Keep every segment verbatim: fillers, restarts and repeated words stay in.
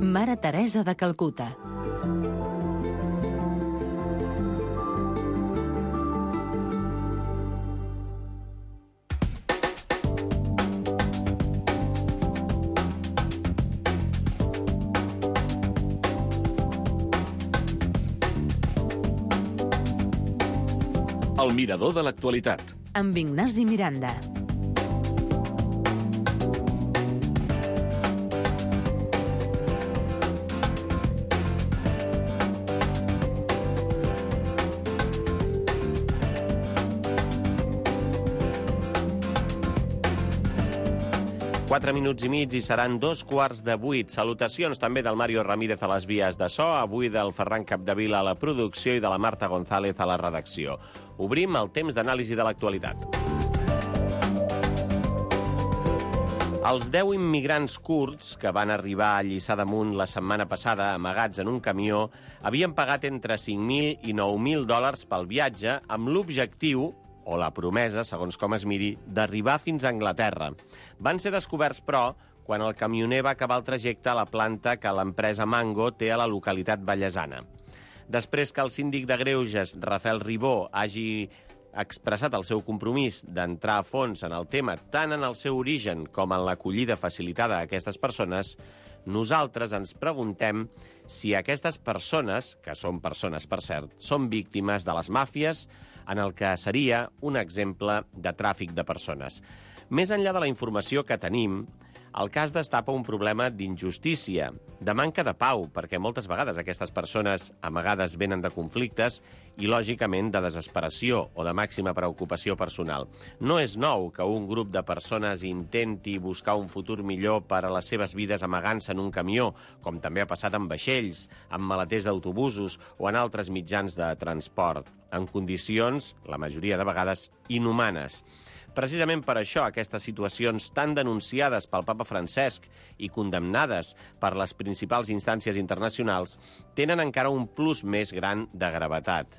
Mare Teresa de Calcuta. El mirador de l'actualitat. Amb Ignasi Miranda. Quatre minuts i mig i seran dos quarts de vuit. Salutacions també del Mario Ramírez a les vies de so, avui del Ferran Capdevila a la producció i de la Marta González a la redacció. Obrim el temps d'anàlisi de l'actualitat. Els deu immigrants kurds que van arribar a Lliçà d'Amunt la setmana passada, amagats en un camió, havien pagat entre cinc mil i nou mil dòlars pel viatge amb l'objectiu, o la promesa, segons com es miri, d'arribar fins a Anglaterra. Van ser descoberts, però, quan el camioner va acabar el trajecte a la planta que l'empresa Mango té a la localitat vallesana. Després que el síndic de Greuges, Rafael Ribó, hagi expressat el seu compromís d'entrar a fons en el tema tant en el seu origen com en l'acollida facilitada a aquestes persones, nosaltres ens preguntem si aquestes persones, que són persones per cert, són víctimes de les màfies, en el que seria un exemple de tràfic de persones. Més enllà de la informació que tenim, el cas destapa un problema d'injustícia, de manca de pau, perquè moltes vegades aquestes persones amagades venen de conflictes i, lògicament, de desesperació o de màxima preocupació personal. No és nou que un grup de persones intenti buscar un futur millor per a les seves vides amagant-se en un camió, com també ha passat amb vaixells, amb maleters d'autobusos o en altres mitjans de transport, en condicions, la majoria de vegades, inhumanes. Precisament per això, aquestes situacions tan denunciades pel papa Francesc i condemnades per les principals instàncies internacionals tenen encara un plus més gran de gravetat.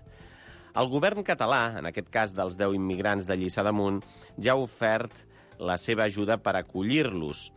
El govern català, en aquest cas dels deu immigrants de Lliçà d'Amunt, ja ha ofert la seva ajuda per acollir-los.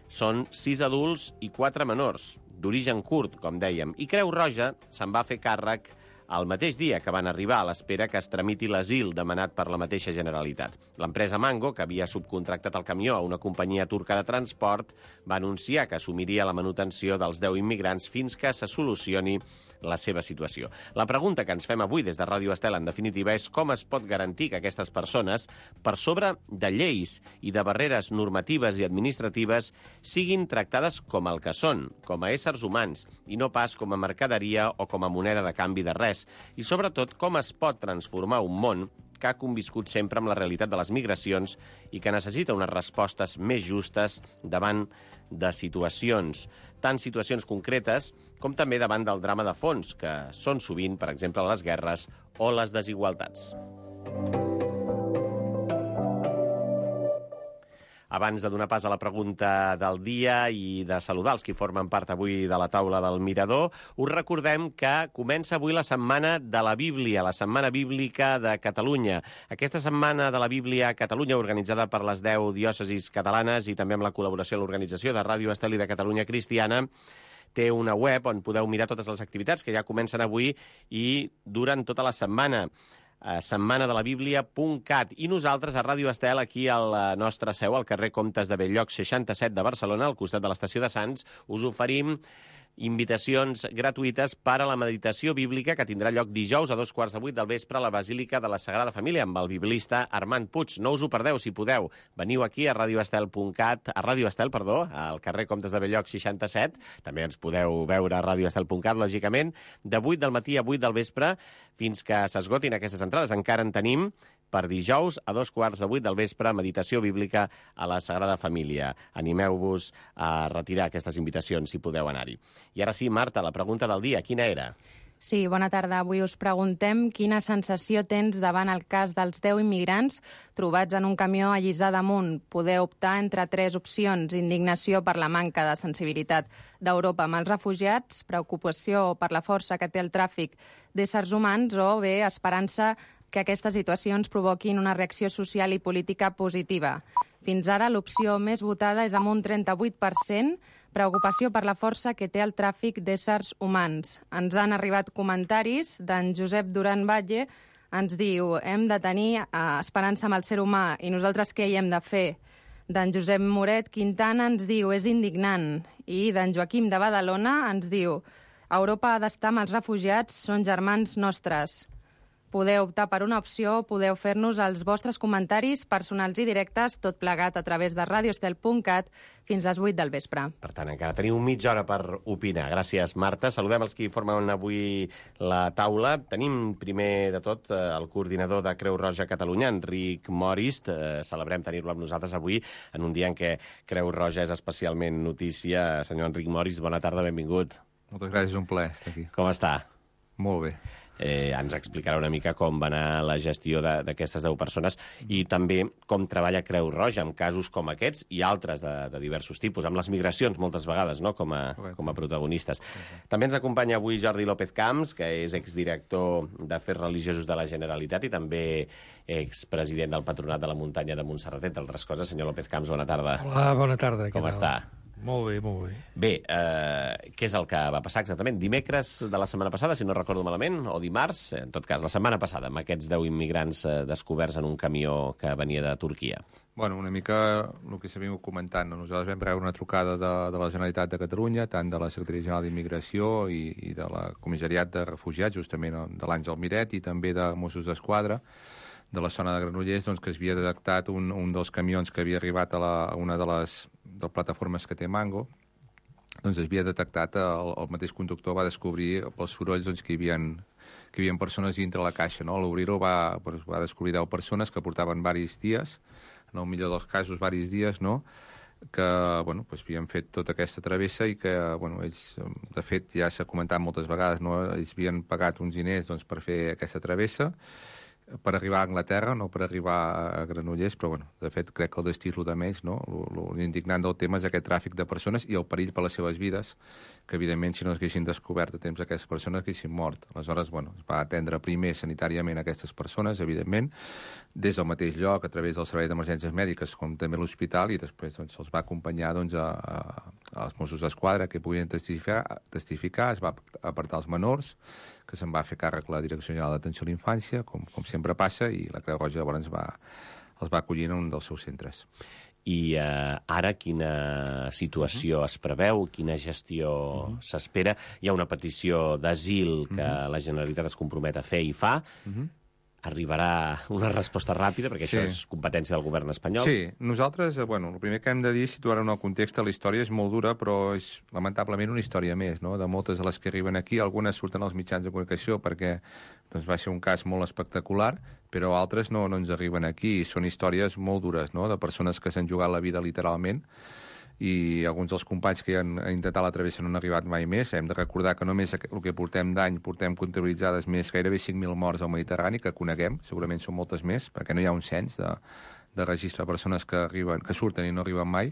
Són sis adults i quatre menors, d'origen kurd, com dèiem, i Creu Roja se'n va fer càrrec el mateix dia que van arribar, a l'espera que es tramiti l'asil demanat per la mateixa Generalitat. L'empresa Mango, que havia subcontractat el camió a una companyia turca de transport, va anunciar que assumiria la manutenció dels deu immigrants fins que se solucioni la seva situació. La pregunta que ens fem avui des de Ràdio Estel, en definitiva, és com es pot garantir que aquestes persones, per sobre de lleis i de barreres normatives i administratives, siguin tractades com el que són, com a éssers humans, i no pas com a mercaderia o com a moneda de canvi de res. I, sobretot, com es pot transformar un món que ha conviscut sempre amb la realitat de les migracions i que necessita unes respostes més justes davant de situacions, tant situacions concretes com també davant del drama de fons, que són sovint, per exemple, les guerres o les desigualtats. Abans de donar pas a la pregunta del dia i de saludar els que formen part avui de la taula del Mirador, us recordem que comença avui la Setmana de la Bíblia, la Setmana Bíblica de Catalunya. Aquesta Setmana de la Bíblia a Catalunya, organitzada per les deu diòcesis catalanes i també amb la col·laboració de l'organització de Ràdio Estel i de Catalunya Cristiana, té una web on podeu mirar totes les activitats que ja comencen avui i duren tota la setmana. setmana de la bíblia punt cat. I nosaltres, a Ràdio Estel, aquí a la nostra seu, al carrer Comtes de Bell-lloc seixanta-set de Barcelona, al costat de l'estació de Sants, us oferim invitacions gratuïtes per a la meditació bíblica que tindrà lloc dijous a dos quarts de vuit del vespre a la Basílica de la Sagrada Família amb el biblista Armand Puig. No us ho perdeu, si podeu. Veniu aquí a radioestel punt cat, a Ràdio Estel, perdó, al carrer Comtes de Bell-lloc seixanta-set. També ens podeu veure a radioestel punt cat, lògicament, de vuit del matí a vuit del vespre fins que s'esgotin aquestes entrades. Encara en tenim per dijous a dos quarts de vuit del vespre, meditació bíblica a la Sagrada Família. Animeu-vos a retirar aquestes invitacions si podeu anar-hi. I ara sí, Marta, la pregunta del dia, quina era? Sí, bona tarda. Avui us preguntem quina sensació tens davant el cas dels deu immigrants trobats en un camió a Lliçà d'Amunt. Podeu optar entre tres opcions: indignació per la manca de sensibilitat d'Europa amb els refugiats, preocupació per la força que té el tràfic d'éssers humans o bé esperança que aquestes situacions provoquin una reacció social i política positiva. Fins ara, l'opció més votada és amb un trenta-vuit per cent Preocupació per la força que té el tràfic d'éssers humans. Ens han arribat comentaris d'en Josep Duran Batlle. Ens diu, hem de tenir eh, esperança amb el ser humà i nosaltres què hi hem de fer? D'en Josep Moret Quintana ens diu, és indignant. I d'en Joaquim de Badalona ens diu, Europa ha d'estar amb els refugiats, són germans nostres. Podeu optar per una opció, podeu fer-nos els vostres comentaris personals i directes, tot plegat a través de radiostel punt cat fins a les vuit del vespre. Per tant, encara teniu mitja hora per opinar. Gràcies, Marta. Saludem els que formen avui la taula. Tenim, primer de tot, el coordinador de Creu Roja Catalunya, Enric Morist. Celebrem tenir-lo amb nosaltres avui, en un dia en què Creu Roja és especialment notícia. Senyor Enric Morist, bona tarda, benvingut. Moltes gràcies, un plaer estar aquí. Com està? Molt bé. Eh, ens explicarà una mica com va anar la gestió d'aquestes deu persones i també com treballa Creu Roja en casos com aquests i altres de, de diversos tipus, amb les migracions moltes vegades, no?, com a, com a protagonistes. També ens acompanya avui Jordi López Camps, que és exdirector d'Afers Religiosos de la Generalitat i també expresident del Patronat de la Muntanya de Montserrat, entre altres coses. Senyor López Camps, bona tarda. Hola, bona tarda. Com està? Molt bé, molt bé. Bé, eh, què és el que va passar exactament? Dimecres de la setmana passada, si no recordo malament, o dimarts, en tot cas, la setmana passada, amb aquests deu immigrants eh, descoberts en un camió que venia de Turquia. Bueno, una mica el que s'ha vingut comentant. No? Nosaltres vam rebre una trucada de, de la Generalitat de Catalunya, tant de la Secretaria General d'Immigració i, i de la Comissariat de Refugiats, justament de l'Àngel Miret, i també de Mossos d'Esquadra, de la zona de Granollers, doncs, que s'havia detectat un, un dels camions que havia arribat a, la, a una de les, de les plataformes que té Mango, doncs es havia detectat, el, el mateix conductor va descobrir pels sorolls doncs, que, hi havia, que hi havia persones dintre la caixa. No? A l'obrir-ho va, doncs, va descobrir deu persones que portaven diversos dies, en el millor dels casos diversos dies, no? que bueno, doncs, havien fet tota aquesta travessa i que, bueno, ells, de fet, ja s'ha comentat moltes vegades, no? Ells havien pagat uns diners doncs, per fer aquesta travessa, per arribar a Anglaterra, no per arribar a Granollers, però, bueno, de fet, crec que el destí és el de menys, no? L'indignant del tema és aquest tràfic de persones i el perill per les seves vides, que, evidentment, si no haguessin descobert a temps aquestes persones, haguessin mort. Aleshores, bueno, es va atendre primer sanitàriament aquestes persones, evidentment, des del mateix lloc, a través del Servei d'Emergències Mèdiques, com també l'hospital, i després doncs, se'ls va acompanyar doncs, a, a, als Mossos d'Esquadra, que podien testificar, testificar, es va apartar els menors, que se'n va fer càrrec la Direcció General d'Atenció a la Infància, com, com sempre passa, i la Creu Roja llavors va, els va acollir en un dels seus centres. I eh, ara quina situació uh-huh. es preveu, quina gestió uh-huh. s'espera? Hi ha una petició d'asil que uh-huh. la Generalitat es compromet a fer i fa. Uh-huh. Arribarà una resposta ràpida, perquè sí. això és competència del govern espanyol. Sí, nosaltres, bueno, el primer que hem de dir, situar en el context, la història és molt dura, però és lamentablement una història més, no? De moltes de les que arriben aquí, algunes surten als mitjans de comunicació perquè doncs, va ser un cas molt espectacular, però altres no, no ens arriben aquí. Són històries molt dures, no?, de persones que s'han jugat la vida literalment, i alguns dels companys que han intentat la travessa no han arribat mai més. Hem de recordar que només el que portem d'any portem comptabilitzades més gairebé cinc mil morts al Mediterrani, que coneguem, segurament són moltes més, perquè no hi ha un cens de, de registre de persones que, arriben, que surten i no arriben mai,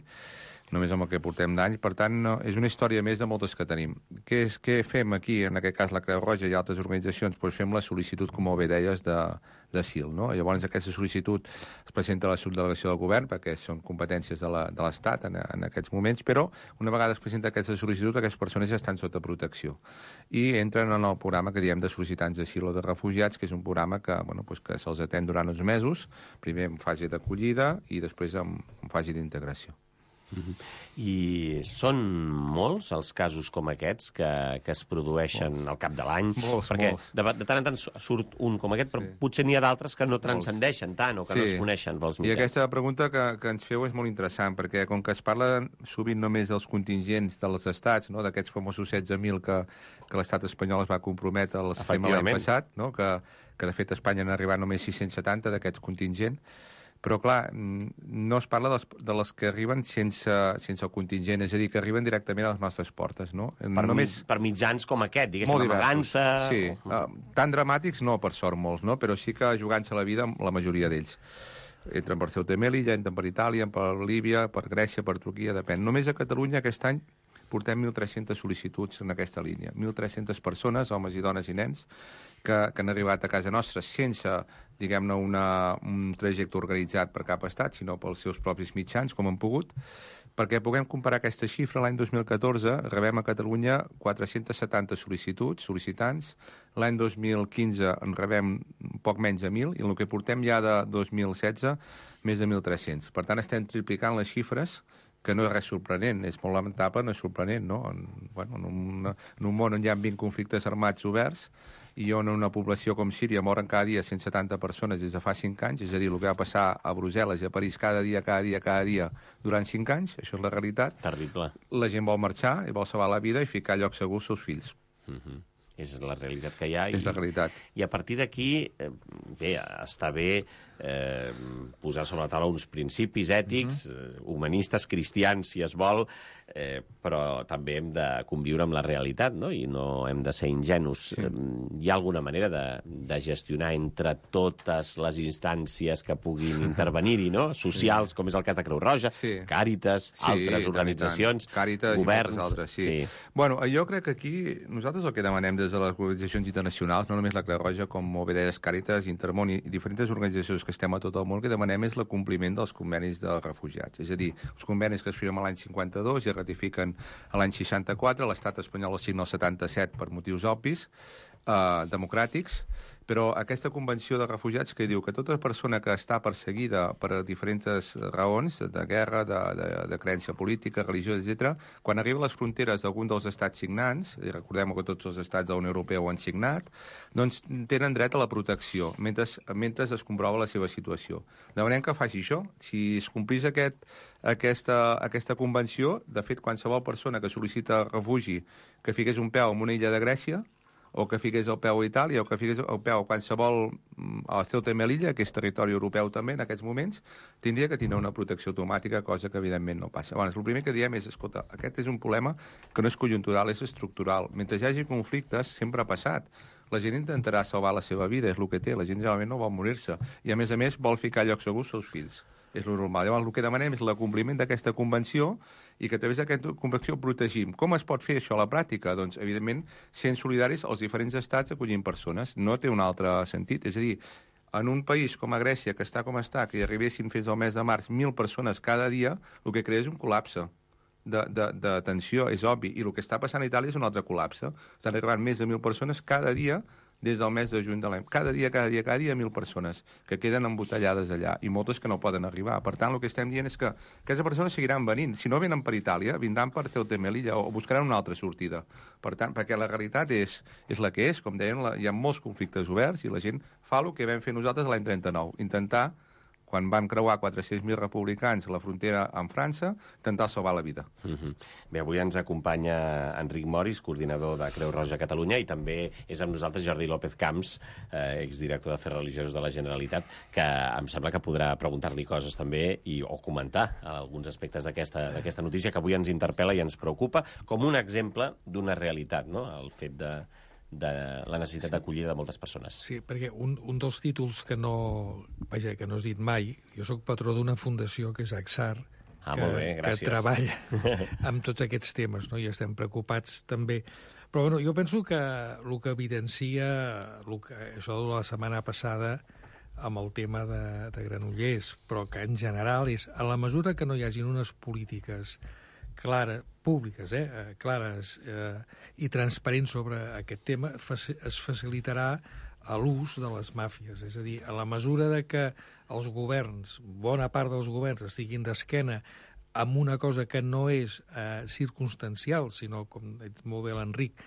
només amb el que portem d'any. Per tant, no, és una història més de moltes que tenim. Què, és, què fem aquí, en aquest cas la Creu Roja i altres organitzacions? Pues fem la sol·licitud, com bé deies, d'asil. No? Llavors, aquesta sol·licitud es presenta a la subdelegació del govern, perquè són competències de l'Estat en, en aquests moments, però una vegada es presenta aquesta sol·licitud, aquestes persones ja estan sota protecció. I entren en el programa que diem de sol·licitants d'asil o de refugiats, que és un programa que, bueno, pues que se'ls atén durant uns mesos, primer en fase d'acollida i després en, en fase d'integració. Uh-huh. I són molts els casos com aquests que, que es produeixen molts. Al cap de l'any? Molts, perquè molts. De, de tant en tant surt un com aquest, però sí. potser n'hi ha d'altres que no transcendeixen tant o que sí. no es coneixen pels mitjans. I aquesta pregunta que, que ens feu és molt interessant, perquè com que es parla sovint només dels contingents dels estats, no? D'aquests famosos setze mil que, que l'estat espanyol es va comprometre al sistema l'any passat, no? que, que de fet a Espanya han arribat només sis-cents setanta d'aquests contingents, però, clar, no es parla dels, de les que arriben sense, sense el contingent, és a dir, que arriben directament a les nostres portes, no? Per, Només... per mitjans com aquest, diguéssim, amagant-se... Sí, uh, tan dramàtics no, per sort, molts, no? Però sí que jugant-se la vida amb la majoria d'ells. Entren per Ceuta i Melilla, entren per Itàlia, per Líbia, per Grècia, per Turquia, depèn. Només a Catalunya aquest any portem mil tres-centes sol·licituds en aquesta línia. mil tres-centes persones, homes i dones i nens, que, que han arribat a casa nostra sense, diguem-ne, una, un trajecte organitzat per cap estat, sinó pels seus propis mitjans, com han pogut, Perquè puguem comparar aquesta xifra, l'any dos mil catorze rebem a Catalunya quatre-cents setanta sol·licituds, sol·licitants, l'any dos mil quinze en rebem poc menys de mil, i en el que portem ja de dos mil setze, més de mil tres-cents. Per tant, estem triplicant les xifres, que no és res sorprenent, és molt lamentable, no és sorprenent, no? En, bueno, en, un, en un món on hi ha vint conflictes armats oberts, i on en una població com Síria moren cada dia cent setanta persones des de fa cinc anys, és a dir, el que va passar a Brussel·les i a París cada dia, cada dia, cada dia, durant cinc anys, això és la realitat. Terrible. La gent vol marxar i vol salvar la vida i ficar a lloc segur els seus fills. Mm-hmm. És la realitat que hi ha. És i, la realitat. I a partir d'aquí, eh, bé, està bé eh, posar sobre la taula uns principis ètics, mm-hmm. eh, humanistes, cristians, si es vol, eh, però també hem de conviure amb la realitat, no? I no hem de ser ingenus. Sí. Eh, hi ha alguna manera de, de gestionar entre totes les instàncies que puguin intervenir-hi, no? Socials, sí. Com és el cas de Creu Roja, sí. Càritas, sí, altres organitzacions, Càritas governs... I altres, sí. Sí. Bueno, jo crec que aquí nosaltres el que demanem des de les organitzacions internacionals, no només la Creu Roja, com molt bé deies, Càritas, Intermón i diferents organitzacions que estem a tot el món, el que demanem és el compliment dels convenis dels refugiats. És a dir, els convenis que es firmen l'any cinquanta-dos i es ratifiquen a l'any seixanta-quatre, l'estat espanyol els signa el setanta-set per motius obvis, eh, democràtics, però aquesta convenció de refugiats que diu que tota persona que està perseguida per diferents raons, de guerra, de, de, de creença política, religiosa, etcètera, quan arriba a les fronteres d'algun dels estats signants, i recordem que tots els estats de la Unió Europea ho han signat, doncs tenen dret a la protecció, mentre, mentre es comprova la seva situació. Demanem que faci això. Si es complís aquest, aquesta, aquesta convenció, de fet, qualsevol persona que sol·licita refugi que fiqués un peu en una illa de Grècia, o que fiqués el peu a Itàlia, o que fiqués el peu a qualsevol, a Ceuta i Melilla, que és territori europeu també en aquests moments, tindria que tenir una protecció automàtica, cosa que evidentment no passa. Bueno, el primer que diem és, escolta, aquest és un problema que no és conjuntural, és estructural. Mentre hi hagi conflictes, sempre ha passat. La gent intentarà salvar la seva vida, és el que té. La gent generalment no vol morir-se. I, a més a més, vol ficar a lloc segur els seus fills. És lo normal. Llavors, el que demanem és l'acompliment d'aquesta convenció i que a través d'aquesta convenció protegim. Com es pot fer això a la pràctica? Doncs, evidentment, sent solidaris els diferents estats acollint persones. No té un altre sentit. És a dir, en un país com a Grècia, que està com està, que hi arribessin fins al mes de març mil persones cada dia, el que crea és un col·lapse de, de, de tensió, és obvi. I el que està passant a Itàlia és un altre col·lapse. Estan arribant més de mil persones cada dia des del mes de juny de l'any. Cada dia, cada dia, cada dia, mil persones que queden embotellades allà i moltes que no poden arribar. Per tant, el que estem dient és que aquestes persones seguiran venint. Si no venen per Itàlia, vindran per Ceuta i Melilla o buscaran una altra sortida. Per tant, perquè la realitat és, és la que és. Com deien, la, hi ha molts conflictes oberts i la gent fa el que vam fer nosaltres l'any trenta-nou. Intentar, quan vam creuar quatre-cents mil republicans a la frontera amb França, intentar salvar la vida. Mm-hmm. Bé, avui ens acompanya Enric Moris, coordinador de Creu Roja Catalunya, i també és amb nosaltres Jordi López Camps, eh, exdirector d'Afers Religiosos de la Generalitat, que em sembla que podrà preguntar-li coses també i, o comentar alguns aspectes d'aquesta d'aquesta notícia que avui ens interpel·la i ens preocupa, com un exemple d'una realitat, no?, el fet de de la necessitat sí. d'acollida de moltes persones. Sí, perquè un, un dels títols que no, vaja, que no has dit mai, jo sóc patró d'una fundació que és AXAR, ah, que, molt bé, gràcies. que treballa amb tots aquests temes, no? I estem preocupats també. Però bueno, jo penso que el que evidencia el que, això de la setmana passada amb el tema de, de Granollers, però que en general és, a la mesura que no hi hagin unes polítiques clares, públiques, eh, clares eh, i transparents sobre aquest tema, es facilitarà l'ús de les màfies. És a dir, a la mesura de que els governs, bona part dels governs, estiguin d'esquena amb una cosa que no és eh, circumstancial, sinó, com ha dit molt bé l'Enric,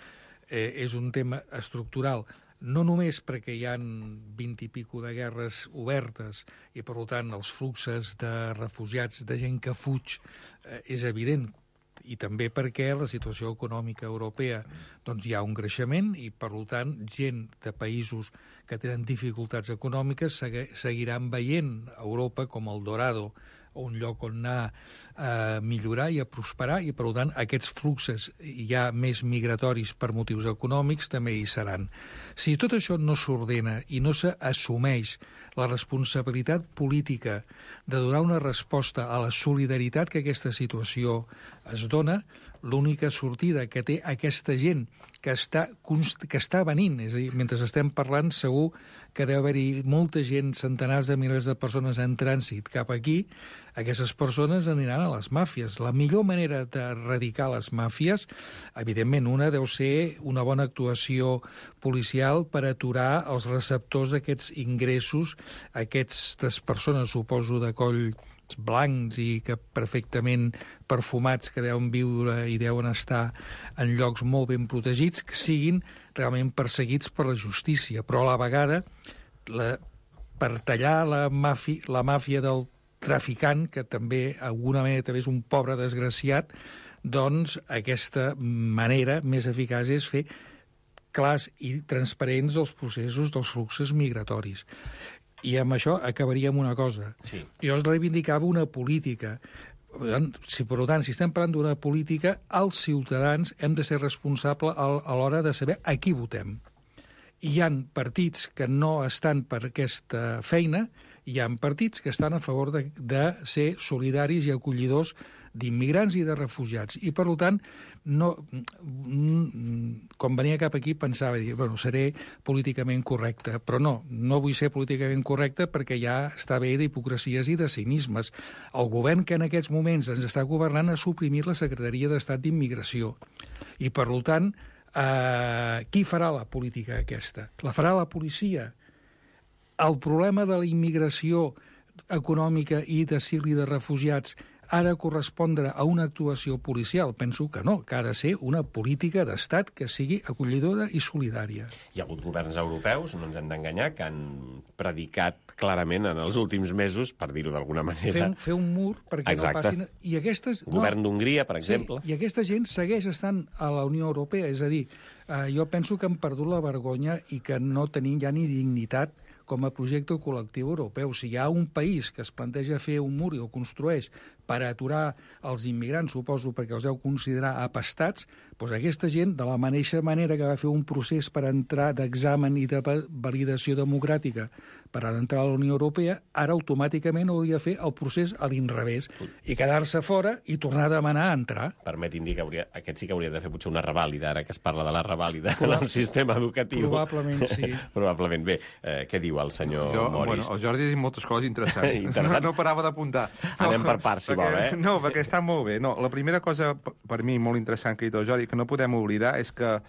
eh, és un tema estructural, no només perquè hi ha vint i pico de guerres obertes i, per tant, els fluxos de refugiats, de gent que fuig, eh, és evident, i també perquè la situació econòmica europea doncs hi ha un creixement i, per tant, gent de països que tenen dificultats econòmiques seguiran veient Europa com el Dorado, un lloc on anar a millorar i a prosperar, i, per tant, aquests fluxos ja més migratoris per motius econòmics també hi seran. Si tot això no s'ordena i no s'assumeix la responsabilitat política de donar una resposta a la solidaritat que aquesta situació es dona, l'única sortida que té aquesta gent que està, que està venint, és a dir, mentre estem parlant segur que deu haver-hi molta gent, centenars de milers de persones en trànsit cap aquí, aquestes persones aniran a les màfies. La millor manera d'erradicar les màfies, evidentment, una deu ser una bona actuació policial per aturar els receptors d'aquests ingressos, aquestes persones, suposo, de coll blancs i que perfectament perfumats, que deuen viure i deuen estar en llocs molt ben protegits, que siguin realment perseguits per la justícia. Però a la vegada, la, per tallar la màfia, la màfia del traficant, que també, d'alguna manera, també és un pobre desgraciat, doncs aquesta manera més eficaç és fer clars i transparents els processos dels fluxos migratoris. I amb això acabaríem una cosa. Sí. Jo es reivindicava una política. Si, per tant, si estem parlant d'una política, els ciutadans hem de ser responsables a l'hora de saber a qui votem. Hi ha partits que no estan per aquesta feina, hi ha partits que estan a favor de, de ser solidaris i acollidors d'immigrants i de refugiats. I, per tant, no, quan venia cap aquí pensava, dir, bueno, seré políticament correcte, però no, no vull ser políticament correcte perquè ja està bé d'hipocresies i de cinismes. El govern que en aquests moments ens està governant ha suprimit la Secretaria d'Estat d'Immigració. I, per tant, eh, qui farà la política aquesta? La farà la policia. El problema de la immigració econòmica i d'asil i de refugiats ha de correspondre a una actuació policial? Penso que no, que ha de ser una política d'estat que sigui acollidora i solidària. Hi ha hagut governs europeus, no ens hem d'enganyar, que han predicat clarament en els últims mesos, per dir-ho d'alguna manera... Fer un, fer un mur perquè Exacte. no passin... I aquestes, Govern no, d'Hongria, per exemple. Sí, i aquesta gent segueix estant a la Unió Europea, és a dir, eh, jo penso que han perdut la vergonya i que no tenim ja ni dignitat com a projecte col·lectiu europeu. Si hi ha un país que es planteja fer un mur i el construeix per aturar els immigrants, suposo perquè els heu considerar apestats, doncs aquesta gent, de la mateixa manera que va fer un procés per entrar d'examen i de validació democràtica per entrar a la Unió Europea, ara automàticament hauria de fer el procés a l'inrevés i quedar-se fora i tornar a demanar a entrar. Permeti'm dir que hauria, aquest sí que hauria de fer potser una revàlida, ara que es parla de la revàlida en el sistema educatiu. Probablement sí. Probablement. Bé, eh, què diu el senyor jo, Moris? Bueno, el Jordi ha dit moltes coses interessants. Interessants? No, no parava d'apuntar. No, Anem per parts, si perquè, vol, eh? No, perquè està molt bé. No, la primera cosa, per mi, molt interessant que ha dit el Jordi, que no podem oblidar, és que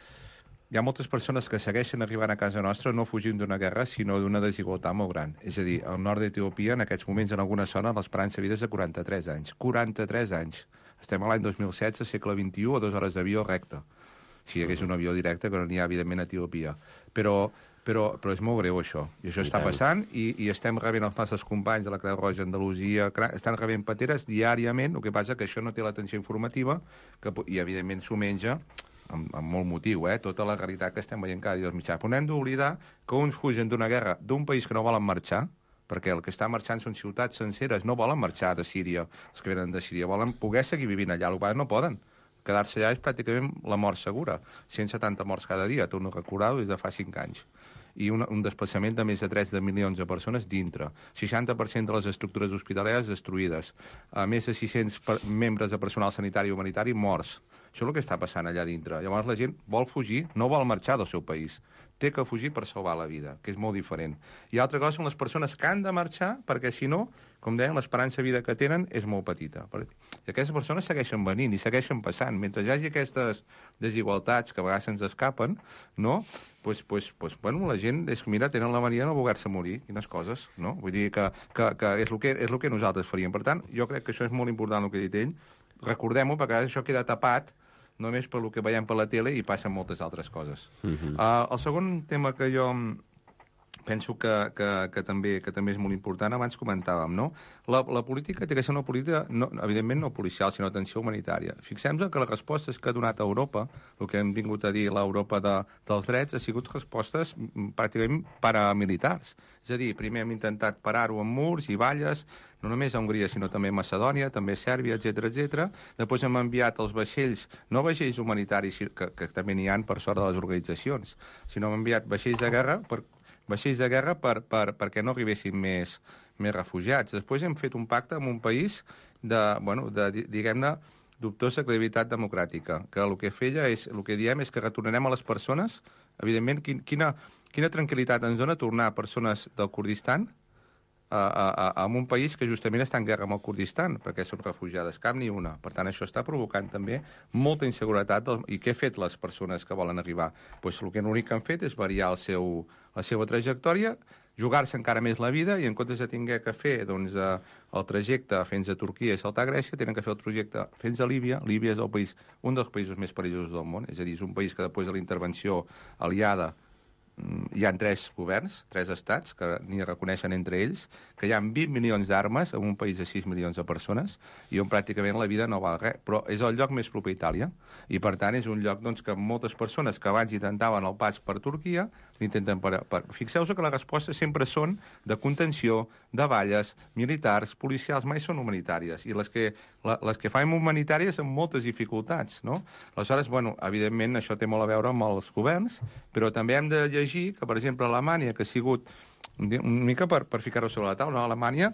hi ha moltes persones que segueixen arribant a casa nostra no fugint d'una guerra, sinó d'una desigualtat molt gran. És a dir, al nord d'Etiòpia, en aquests moments, en alguna zona, l'esperança de vida és de quaranta-tres anys. quaranta-tres anys. Estem a l'any dos mil setze, segle vint-i-u, a dues hores d'avió recte. Si hi hagués un avió directe, que no n'hi ha, evidentment, a Etiòpia. Però, però, però és molt greu, això. I això I està tant. passant, i, i estem rebent els nostres companys de la Creu Roja Andalusia, estan rebent pateres diàriament, el que passa que això no té l'atenció informativa, que, i, evidentment, s'ho menja amb, amb molt motiu, eh? Tota la realitat que estem veient cada dia als mitjans. Però no hem d'oblidar que uns fugen d'una guerra d'un país que no volen marxar, perquè el que està marxant són ciutats senceres, no volen marxar de Síria, els que venen de Síria, volen poder seguir vivint allà, el que no poden. Quedar-se allà és pràcticament la mort segura. cent setanta morts cada dia, torno a recordar-ho des de fa cinc anys. I un, un desplaçament de més de tres milions de persones dintre. seixanta per cent de les estructures hospitalàries destruïdes. A més de sis-cents per, membres de personal sanitari i humanitari morts. Això és el que està passant allà dintre. Llavors la gent vol fugir, no vol marxar del seu país. Té que fugir per salvar la vida, que és molt diferent. I altra cosa són les persones que han de marxar, perquè si no, com deien, l'esperança de vida que tenen és molt petita. I aquestes persones segueixen venint i segueixen passant. Mentre hi hagi aquestes desigualtats que a vegades se'ns escapen, no? Pues, pues, pues, bueno, la gent, és que mira, tenen la mania de no voler-se morir, quines coses, no? Vull dir que, que, que és, el que és el que nosaltres faríem. Per tant, jo crec que això és molt important el que ha dit ell. Recordem-ho, perquè això queda tapat només per el que veiem per la tele i passen moltes altres coses. Uh-huh. uh, el segon tema que jo penso que, que, que, també, que també és molt important, abans comentàvem, no? La, la política té que ser una política, no, evidentment no policial, sinó d'atenció humanitària. Fixem-nos que les respostes que ha donat Europa, el que hem vingut a dir l'Europa de, dels drets, ha sigut respostes pràcticament paramilitars. És a dir, primer hem intentat parar-ho amb murs i valles, no només a Hongria, sinó també a Macedònia, també a Sèrbia, etcètera, etcètera. Després hem enviat els vaixells, no vaixells humanitaris, que, que també n'hi ha per sort de les organitzacions, sinó hem enviat vaixells de guerra per vaixells de guerra per, per, perquè no arribessin més, més refugiats. Després hem fet un pacte amb un país de, bueno, de, diguem-ne, dubtosa credibilitat democràtica, que el que feia és, el que diem és que retornarem a les persones, evidentment, quin, quina, quina tranquil·litat ens dona tornar persones del Kurdistan a, a, a, a un país que justament està en guerra amb el Kurdistan, perquè són refugiades, cap ni una. Per tant, això està provocant també molta inseguretat. Del, I què han fet les persones que volen arribar? Pues el que l'únic que han fet és variar el seu, la seva trajectòria, jugar-se encara més la vida, i en comptes de tinguer que fer doncs, el trajecte fins a Turquia i saltar a Grècia, tenen que fer el trajecte fins a Líbia. Líbia és el país, un dels països més perillosos del món, és a dir, és un país que després de la intervenció aliada hi ha tres governs, tres estats, que ni reconeixen entre ells, que hi ha vint milions d'armes en un país de sis milions de persones, i on pràcticament la vida no val res. Però és el lloc més proper a Itàlia, i per tant és un lloc doncs, que moltes persones que abans intentaven el pas per Turquia, l'intenten per... per... Fixeu-vos que les respostes sempre són de contenció, de valles, militars, policials, mai són humanitàries, i les que, la, les que fan humanitàries amb moltes dificultats, no? Aleshores, bueno, evidentment això té molt a veure amb els governs, però també hem de llegir que, per exemple, Alemanya, que ha sigut una mica per, per ficar-ho sobre la taula, no? Alemanya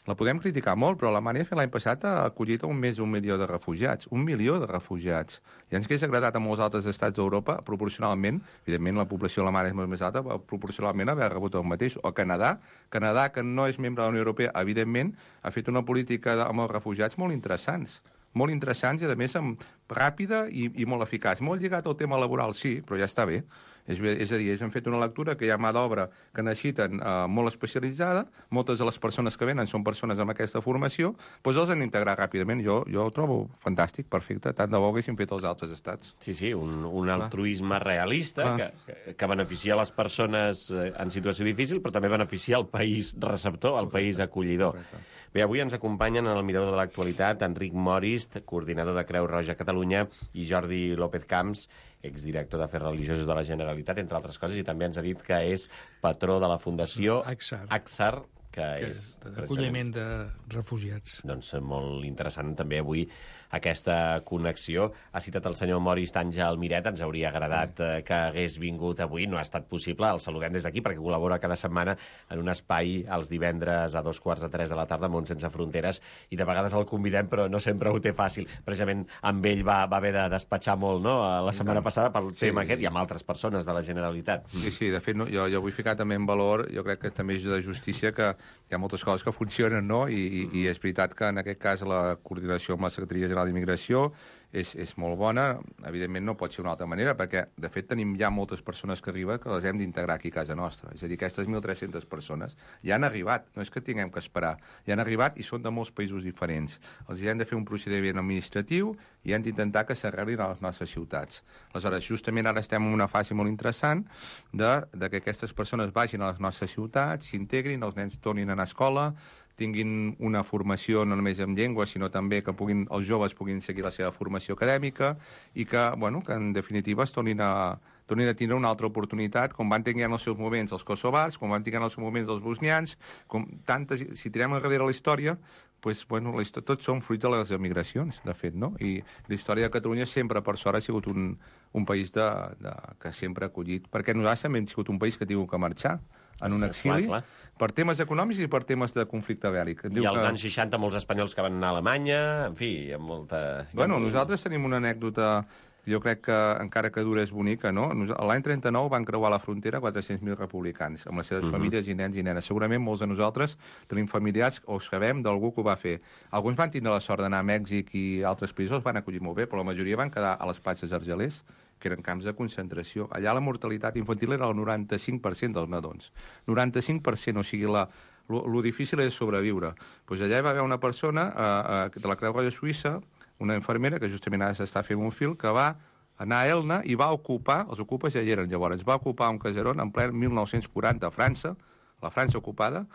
la podem criticar molt, però Alemanya l'any passat ha acollit un més d'un milió de refugiats. Un milió de refugiats. I ens hauria agradat a molts altres estats d'Europa, proporcionalment, evidentment la població alemana és molt més alta, proporcionalment haver rebut el mateix. O Canadà, Canadà, que no és membre de la Unió Europea, evidentment, ha fet una política amb els refugiats molt interessants. Molt interessants i, a més, amb, ràpida i, i molt eficaç. Molt lligat al tema laboral, sí, però ja està bé. És, és a dir, ells han fet una lectura que hi ha mà d'obra que necessiten eh, molt especialitzada, moltes de les persones que venen són persones amb aquesta formació, doncs els han d'integrar ràpidament. Jo, jo ho trobo fantàstic, perfecte, tant de bo haguessin fet els altres estats. Sí, sí, un, un altruisme realista que, que, que beneficia les persones en situació difícil, però també beneficia el país receptor, el país acollidor. Bé, avui ens acompanyen en el Mirador de l'Actualitat Enric Morist, coordinador de Creu Roja Catalunya, i Jordi López Camps, exdirector d'Afers Religiosos de la Generalitat, entre altres coses, i també ens ha dit que és patró de la Fundació Acsar, Acsar que, que és... d'acolliment de refugiats. Doncs molt interessant també avui aquesta connexió. Ha citat el senyor Morist Àngel Miret, ens hauria agradat eh, que hagués vingut avui, no ha estat possible, el saludem des d'aquí perquè col·labora cada setmana en un espai els divendres a dos quarts de tres de la tarda, Món Sense Fronteres, i de vegades el convidem, però no sempre ho té fàcil. Precisament amb ell va, va haver de despatxar molt, no?, la setmana passada pel sí, tema aquest, i amb altres persones de la Generalitat. Sí, sí, de fet, no, jo, jo vull ficar també en valor, jo crec que també és de justícia que hi ha moltes coses que funcionen, no?, i, i, i és veritat que en aquest cas la coordinació amb la Secretaria General d'Immigració és, és molt bona. Evidentment no pot ser d'una altra manera, perquè de fet tenim ja moltes persones que arriben que les hem d'integrar aquí a casa nostra. És a dir, aquestes mil tres-centes persones ja han arribat, no és que tinguem que esperar, ja han arribat i són de molts països diferents. Els hem de fer un procediment administratiu i hem d'intentar que s'arreglin a les nostres ciutats. Aleshores, justament ara estem en una fase molt interessant de, de que aquestes persones vagin a les nostres ciutats, s'integrin, els nens tornin a anar a escola, tinguin una formació no només en llengua, sinó també que puguin, els joves puguin seguir la seva formació acadèmica i que, bueno, que en definitiva es tornin a, tornin a tindre una altra oportunitat, com van tenir en els seus moments els kosovars, com van tenir en els seus moments els bosnians, com tantes, si tirem enrere la història, pues, bueno, la història, tots són fruit de les emigracions, de fet, no? I la història de Catalunya sempre, per sort, ha sigut un, un país de, de, que sempre ha acollit, perquè nosaltres també hem sigut un país que ha tingut que marxar en un exili, clar, clar. Per temes econòmics i per temes de conflicte bèl·lic. I als que... anys seixanta molts espanyols que van anar a Alemanya, en fi, amb molta... Bueno, nosaltres tenim una anècdota, jo crec que encara que dura és bonica, no? L'any trenta-nou van creuar la frontera quatre-cents mil republicans, amb les seves uh -huh. famílies i nens i nenes. Segurament molts de nosaltres tenim familiars o sabem d'algú que ho va fer. Alguns van tindre la sort d'anar a Mèxic i altres països van acollir molt bé, però la majoria van quedar a les platges argelers, que eren camps de concentració. Allà la mortalitat infantil era el noranta-cinc per cent dels nadons. noranta-cinc per cent, o sigui, la, lo, lo difícil és sobreviure. Pues allà hi va haver una persona eh, eh, de la Creu Roja Suïssa, una infermera, que justament ara s'està fent un fil, que va anar a Elna i va ocupar, els ocupes ja hi eren llavors, va ocupar un caserón en ple mil nou-cents quaranta a França, la França ocupada,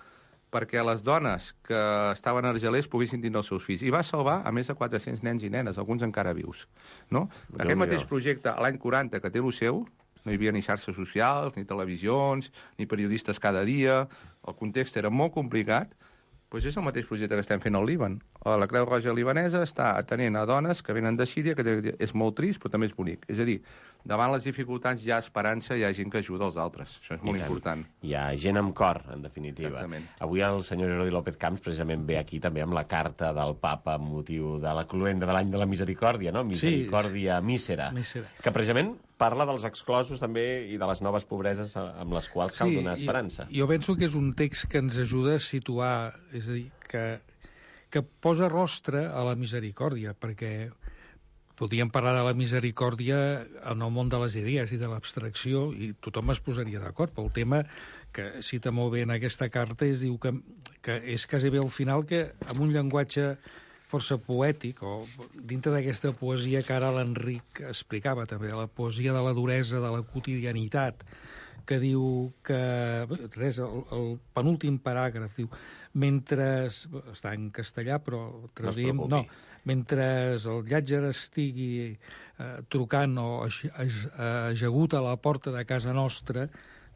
perquè les dones que estaven argelers poguessin tindre els seus fills. I va salvar a més de quatre-cents nens i nenes, alguns encara vius. No? Aquest mateix projecte, l'any quaranta, que té el seu, no hi havia ni xarxes socials, ni televisions, ni periodistes cada dia, el context era molt complicat, doncs és el mateix projecte que estem fent al Líban. La Creu Roja libanesa està atenent a dones que venen de Síria, que és molt trist, però també és bonic. És a dir, davant les dificultats hi ha esperança, hi ha gent que ajuda els altres. Això és molt important. Hi ha gent amb cor, en definitiva. Exactament. Avui el senyor Jordi López Camps precisament ve aquí també amb la carta del papa amb motiu de la cloenda de l'any de la misericòrdia, no? Misericòrdia sí. mísera, mísera, que precisament parla dels exclosos també i de les noves pobreses amb les quals cal sí, donar esperança. Jo, jo penso que és un text que ens ajuda a situar, és a dir, que, que posa rostre a la misericòrdia, perquè podríem parlar de la misericòrdia en el món de les idees i de l'abstracció i tothom es posaria d'acord, pel tema que cita molt bé en aquesta carta és diu que, que és quasi bé al final que amb un llenguatge força poètic, o dintre d'aquesta poesia que ara l'Enric explicava també, la poesia de la duresa, de la quotidianitat, que diu que... Res, el, el penúltim paràgraf diu mentre... Està en castellà, però... Traduïm, no, mentre el llàtzer estigui eh, trucant o ajagut a la porta de casa nostra,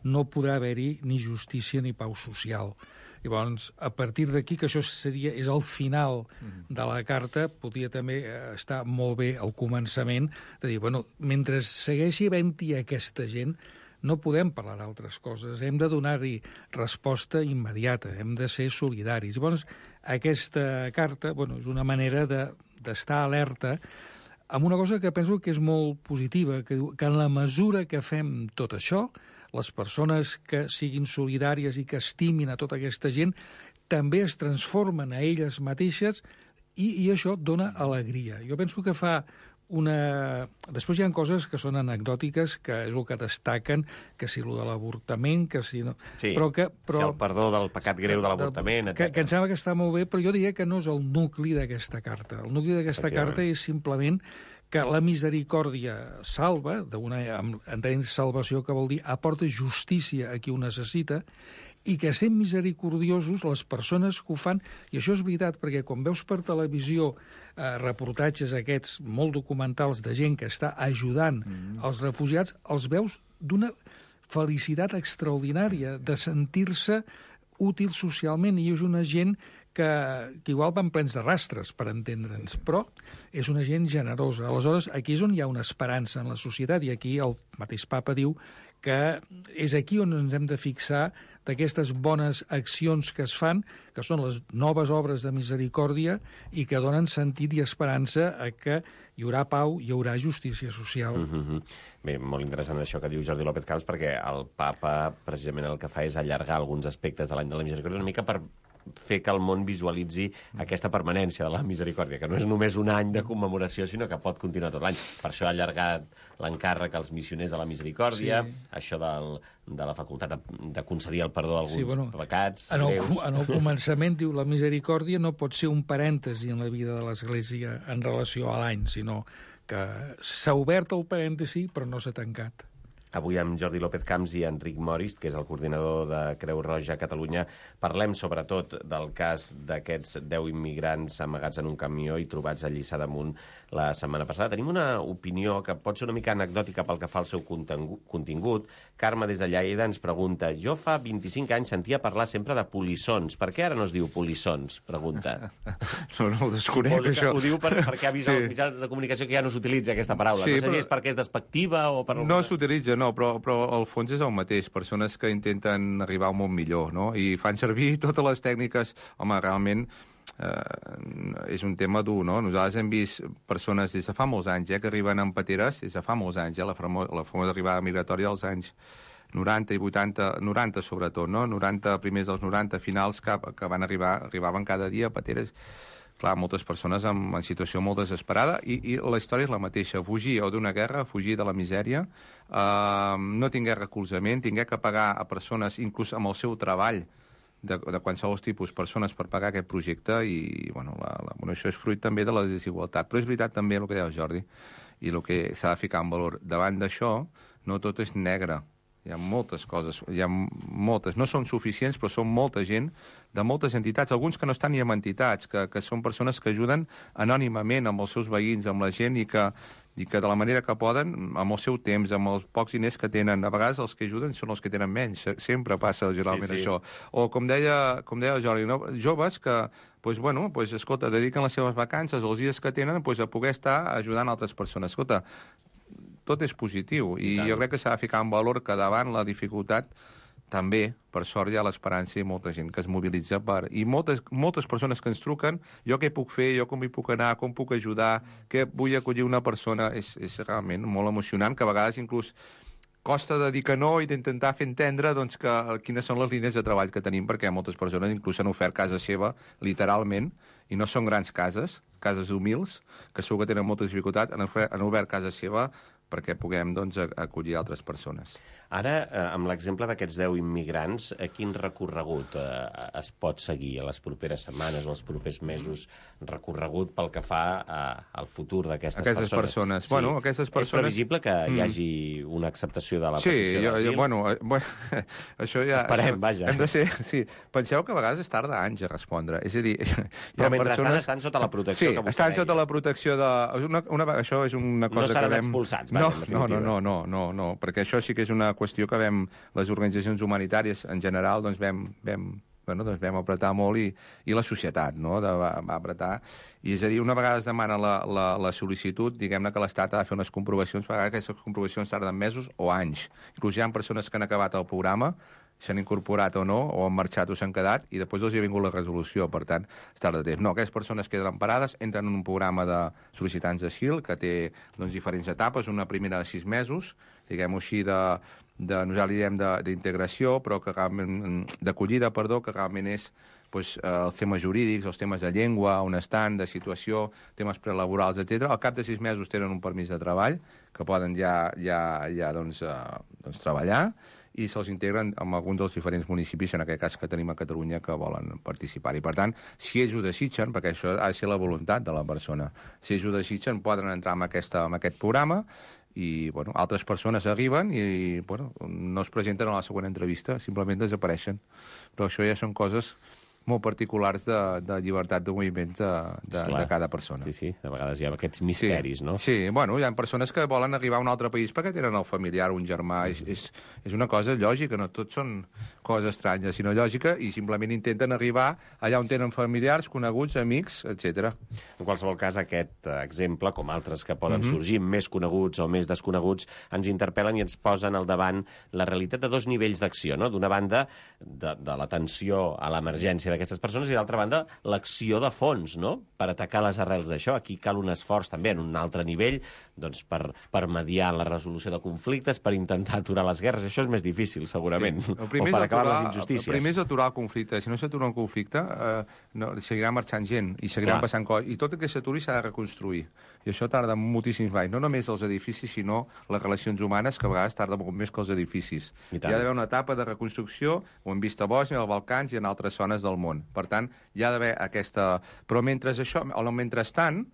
no podrà haver-hi ni justícia ni pau social. Llavors, a partir d'aquí, que això seria, és el final de la carta, podria també estar molt bé al començament, de dir, bueno, mentre segueixi havent-hi aquesta gent, no podem parlar d'altres coses, hem de donar-hi resposta immediata, hem de ser solidaris. Llavors, aquesta carta, bueno, és una manera de, d'estar alerta amb una cosa que penso que és molt positiva, que diu que en la mesura que fem tot això, les persones que siguin solidàries i que estimin a tota aquesta gent també es transformen a elles mateixes i, i això dona alegria. Jo penso que fa una... Després hi ha coses que són anecdòtiques, que és el que destaquen, que si el de l'avortament, que si no... Sí, però que, però... si el perdó del pecat greu de l'avortament, etcètera. Que, que em sembla que està molt bé, però jo diria que no és el nucli d'aquesta carta. El nucli d'aquesta carta és simplement que la misericòrdia salva, entenent salvació que vol dir aporta justícia a qui ho necessita, i que sent misericordiosos les persones que ho fan, i això és veritat, perquè quan veus per televisió eh, reportatges aquests molt documentals de gent que està ajudant mm. els refugiats, els veus d'una felicitat extraordinària, de sentir-se útil socialment, i és una gent que, que igual van plens de rastres, per entendre'ns, però és una gent generosa. Aleshores, aquí és on hi ha una esperança en la societat, i aquí el mateix papa diu que és aquí on ens hem de fixar d'aquestes bones accions que es fan, que són les noves obres de misericòrdia i que donen sentit i esperança a que hi haurà pau, hi haurà justícia social. Mm-hmm. Bé, molt interessant això que diu Jordi López Camps, perquè el papa precisament el que fa és allargar alguns aspectes de l'any de la misericòrdia una mica per fer que el món visualitzi aquesta permanència de la misericòrdia, que no és només un any de commemoració, sinó que pot continuar tot l'any. Per això ha allargat l'encàrrec als missioners de la misericòrdia, sí. Això del, de la facultat de, de concedir el perdó a alguns sí, bueno, pecats en el, greus. En el començament diu la misericòrdia no pot ser un parèntesi en la vida de l'Església en relació a l'any, sinó que s'ha obert el parèntesi però no s'ha tancat. Avui amb Jordi López Camps i Enric Morist, que és el coordinador de Creu Roja a Catalunya, parlem sobretot del cas d'aquests deu immigrants amagats en un camió i trobats a Lliçà d'Amunt la setmana passada. Tenim una opinió que pot ser una mica anecdòtica pel que fa al seu contingut. Carme, des de Lleida, ens pregunta: jo fa vint-i-cinc anys sentia parlar sempre de polissons. Per què ara no es diu polissons? Pregunta. No, no ho desconec, això. Ho diu per, perquè ha vist sí. als mitjans de comunicació que ja no s'utilitza aquesta paraula. Sí, no sé però... si és perquè és despectiva o per... No s'utilitza, no. No, però, però el fons és el mateix. Persones que intenten arribar a un món millor, no? I fan servir totes les tècniques. Home, realment eh, és un tema dur, no? Nosaltres hem vist persones des de fa molts anys, eh, que arriben amb pateres, des de fa molts anys, eh, la, famo la famosa arribada migratòria dels anys noranta i vuitanta, noranta sobretot, no? noranta, primers dels noranta, finals, que, que van arribar, arribaven cada dia a pateres. Clar, moltes persones en, en situació molt desesperada, i, i la història és la mateixa. Fugir o d'una guerra, fugir de la misèria, eh, no tinguer recolzament, tinguer que pagar a persones, inclús amb el seu treball, de, de qualsevol tipus, persones per pagar aquest projecte, i bueno, la, la, bueno, això és fruit també de la desigualtat. Però és veritat també el que deia el Jordi, i el que s'ha de ficar en valor. Davant d'això, no tot és negre. Hi ha moltes coses, hi ha moltes, no són suficients, però són molta gent de moltes entitats, alguns que no estan ni en entitats, que, que són persones que ajuden anònimament amb els seus veïns, amb la gent, i que, i que de la manera que poden, amb el seu temps, amb els pocs diners que tenen. A vegades els que ajuden són els que tenen menys, sempre passa generalment sí, sí. això. O com deia, com deia el Jordi, no? Joves que pues, bueno, pues, escolta, dediquen les seves vacances, els dies que tenen, pues, a poder estar ajudant altres persones. Escolta, tot és positiu. I, I jo crec que s'ha de ficar en valor que davant la dificultat també, per sort, hi ha l'esperança i molta gent que es mobilitza per... I moltes, moltes persones que ens truquen, jo què puc fer, jo com hi puc anar, com puc ajudar, què vull acollir una persona... És, és realment molt emocionant, que a vegades inclús costa de dir que no i d'intentar fer entendre doncs, que, quines són les línies de treball que tenim, perquè moltes persones inclús han ofert casa seva, literalment, i no són grans cases, cases humils, que segur que tenen moltes dificultats, han ofert, han obert casa seva perquè puguem doncs, acollir altres persones. Ara, eh, amb l'exemple d'aquests deu immigrants, eh, quin recorregut eh, es pot seguir a les properes setmanes o els propers mesos, recorregut pel que fa eh, al futur d'aquestes aquestes persones? persones. Sí. Bueno, aquestes persones... És previsible que hi hagi una acceptació de la sí, petició jo, d'asil? jo, bueno, eh, bueno, això ja... Esperem, vaja. Hem de ser, sí. Penseu que a vegades es tarda anys a respondre. És a dir, Però mentrestant persones... estan sota la protecció sí, que vostè estan deia. sota la protecció de... Una, una, això és una cosa no que seran vam... expulsats, no, vaja, en no, no, definitiva. no, no, no, no, perquè això sí que és una qüestió que vam... Les organitzacions humanitàries, en general, doncs vam... vam Bueno, doncs vam apretar molt i, i la societat no? de, va, va apretar. I és a dir, una vegada es demana la, la, la sol·licitud, diguem-ne que l'Estat ha de fer unes comprovacions, per aquestes comprovacions tarden mesos o anys. Inclús hi ha persones que han acabat el programa, s'han incorporat o no, o han marxat o s'han quedat, i després els hi ha vingut la resolució, per tant, es tarda temps. No, aquestes persones queden emparades, entren en un programa de sol·licitants d'asil que té doncs, diferents etapes, una primera de sis mesos, diguem-ho així, de, de, nosaltres li diem d'integració, però que realment, d'acollida, perdó, que realment és doncs, els temes jurídics, els temes de llengua, on estan, de situació, temes prelaborals, etcètera. Al cap de sis mesos tenen un permís de treball, que poden ja, ja, ja doncs, uh, doncs, treballar, i se'ls integren amb alguns dels diferents municipis, en aquest cas que tenim a Catalunya, que volen participar. I, per tant, si ells ho desitgen, perquè això ha de ser la voluntat de la persona, si ells ho desitgen, poden entrar en, aquesta, en aquest programa, i bueno, altres persones arriben i bueno, no es presenten a la següent entrevista, simplement desapareixen. Però això ja són coses molt particulars de, de llibertat de moviments de, de, de cada persona. Sí, sí, de vegades hi ha aquests misteris, sí, no? Sí, bueno, hi ha persones que volen arribar a un altre país perquè tenen el familiar, un germà, és, és, és una cosa lògica, no tot són coses estranyes, sinó lògica, i simplement intenten arribar allà on tenen familiars, coneguts, amics, etcètera. En qualsevol cas, aquest exemple, com altres que poden Mm-hmm. sorgir, més coneguts o més desconeguts, ens interpel·len i ens posen al davant la realitat de dos nivells d'acció, no? D'una banda, de, de l'atenció a l'emergència d'aquestes persones, i d'altra banda, l'acció de fons, no?, per atacar les arrels d'això. Aquí cal un esforç també en un altre nivell, doncs per, per mediar en la resolució de conflictes, per intentar aturar les guerres. Això és més difícil, segurament, Sí. o per acabar aturar, les injustícies. El primer és aturar el conflicte. Si no s'atura un conflicte, eh, no, seguirà marxant gent i seguiran Clar. passant coses. I tot el que s'aturi s'ha de reconstruir. I això tarda moltíssims anys. No només els edificis, sinó les relacions humanes, que a vegades tarda molt més que els edificis. I Hi tant. ha d'haver una etapa de reconstrucció, ho hem vist a Bòsnia, als Balcans i en altres zones del món. Per tant, hi ha d'haver aquesta... Però mentre això, o mentrestant,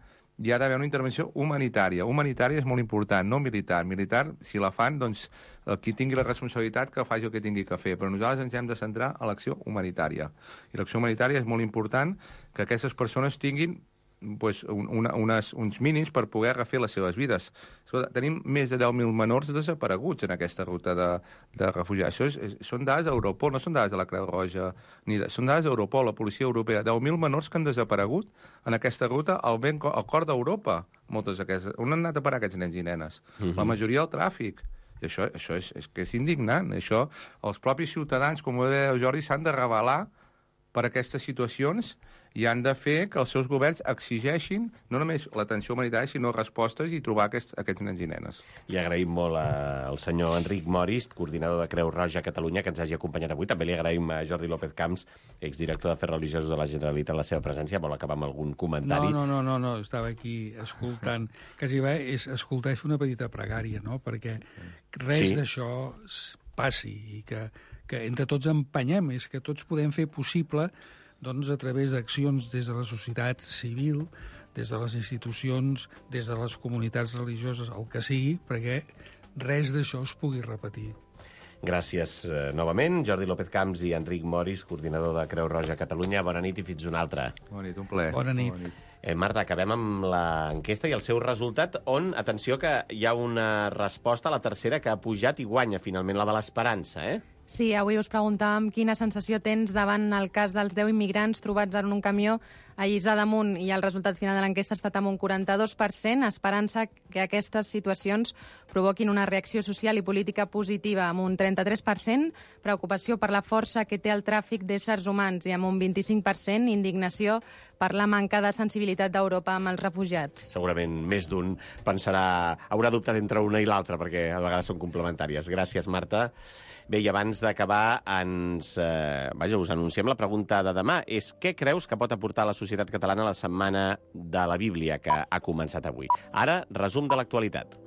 hi ha d'haver una intervenció humanitària. Humanitària és molt important, no militar. Militar, si la fan, doncs, el qui tingui la responsabilitat que faci el que tingui que fer. Però nosaltres ens hem de centrar a l'acció humanitària. I l'acció humanitària és molt important que aquestes persones tinguin pues, una, unes, uns mínims per poder refer les seves vides. Escolta, tenim més de deu mil menors desapareguts en aquesta ruta de, de refugiats. Això és, és, són dades d'Europol, no són dades de la Creu Roja, ni de, són dades d'Europol, la policia europea. deu mil menors que han desaparegut en aquesta ruta al, ben, al cor d'Europa. Moltes d'aquestes. On han anat a parar aquests nens i nenes? Uh-huh. La majoria al tràfic. I això, això és, és, que és indignant. Això, els propis ciutadans, com ho deia Jordi, s'han de rebel·lar per aquestes situacions i han de fer que els seus governs exigeixin no només l'atenció humanitària, sinó respostes i trobar aquests, aquests nens i nenes. Li agraïm molt al senyor Enric Moris, coordinador de Creu Roja a Catalunya, que ens hagi acompanyat avui. També li agraïm a Jordi López Camps, exdirector d'Afers Religiosos de la Generalitat, la seva presència. Vol acabar amb algun comentari? No, no, no, no, no. Estava aquí escoltant. Quasi bé és escoltar i fer una petita pregària, no? Perquè res Sí. d'això passi i que, que entre tots empenyem, és que tots podem fer possible doncs, a través d'accions des de la societat civil, des de les institucions, des de les comunitats religioses, el que sigui, perquè res d'això es pugui repetir. Gràcies eh, novament, Jordi López Camps i Enric Moris, coordinador de Creu Roja a Catalunya. Bona nit i fins una altra. Bona nit, un plaer. Bona nit. Bona nit. Eh, Marta, acabem amb l'enquesta i el seu resultat, on, atenció, que hi ha una resposta a la tercera que ha pujat i guanya, finalment, la de l'Esperança, eh? Sí, avui us preguntàvem quina sensació tens davant el cas dels deu immigrants trobats en un camió a Lliçà d'Amunt, i el resultat final de l'enquesta ha estat amb un quaranta-dos per cent, esperança que aquestes situacions provoquin una reacció social i política positiva, amb un trenta-tres per cent, preocupació per la força que té el tràfic d'éssers humans, i amb un vint-i-cinc per cent, indignació per la manca de sensibilitat d'Europa amb els refugiats. Segurament més d'un pensarà, haurà dubtat entre una i l'altra, perquè a vegades són complementàries. Gràcies, Marta. Bé, i abans d'acabar, ens, eh, vaja, us anunciem la pregunta de demà. És què creus que pot aportar la societat catalana a la Setmana de la Bíblia, que ha començat avui? Ara, resum de l'actualitat.